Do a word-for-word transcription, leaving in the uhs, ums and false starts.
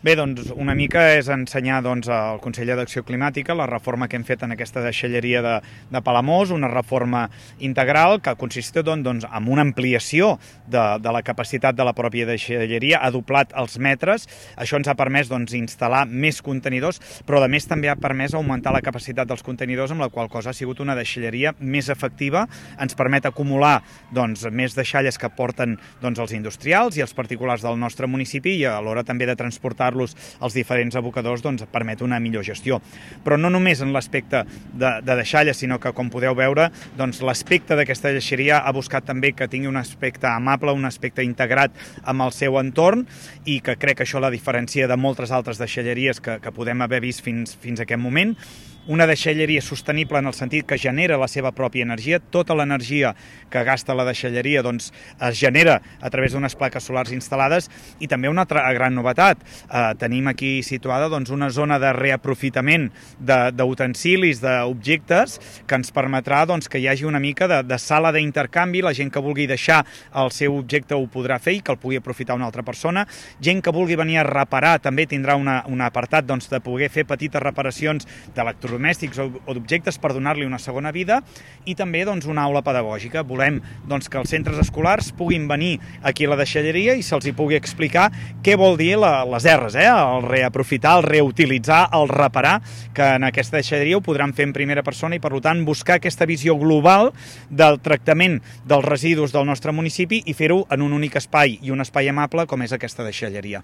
Bé, doncs una mica és ensenyar doncs, al Consell d'Acció Climàtica la reforma que hem fet en aquesta deixalleria de, de Palamós, una reforma integral que consisteix doncs, en una ampliació de, de la capacitat de la pròpia deixalleria, ha doblat els metres, això ens ha permès doncs, instal·lar més contenidors, però a més també ha permès augmentar la capacitat dels contenidors, amb la qual cosa ha sigut una deixalleria més efectiva, ens permet acumular doncs, més deixalles que porten doncs, els industrials i els particulars del nostre municipi i a l'hora també de transportar als diferents abocadors doncs, permet una millor gestió. Però no només en l'aspecte de, de deixalles, sinó que, com podeu veure, doncs, l'aspecte d'aquesta deixalleria ha buscat també que tingui un aspecte amable, un aspecte integrat amb el seu entorn i que crec que això la diferencia de moltes altres deixalleries que, que podem haver vist fins, fins a aquest moment. Una deixalleria sostenible en el sentit que genera la seva pròpia energia. Tota l'energia que gasta la deixalleria doncs, es genera a través d'unes plaques solars instal·lades i també una altra gran novetat. Eh, tenim aquí situada doncs, una zona de reaprofitament d'utensilis, de, d'objectes, que ens permetrà doncs, que hi hagi una mica de, de sala d'intercanvi. La gent que vulgui deixar el seu objecte ho podrà fer i que el pugui aprofitar una altra persona. Gent que vulgui venir a reparar també tindrà una, un apartat doncs, de poder fer petites reparacions d'electrònics domèstics o d'objectes per donar-li una segona vida i també doncs, una aula pedagògica. Volem doncs, que els centres escolars puguin venir aquí a la deixalleria i se'ls hi pugui explicar què vol dir la, les erres, eh? El reaprofitar, el reutilitzar, el reparar, que en aquesta deixalleria ho podran fer en primera persona i per tant buscar aquesta visió global del tractament dels residus del nostre municipi i fer-ho en un únic espai i un espai amable com és aquesta deixalleria.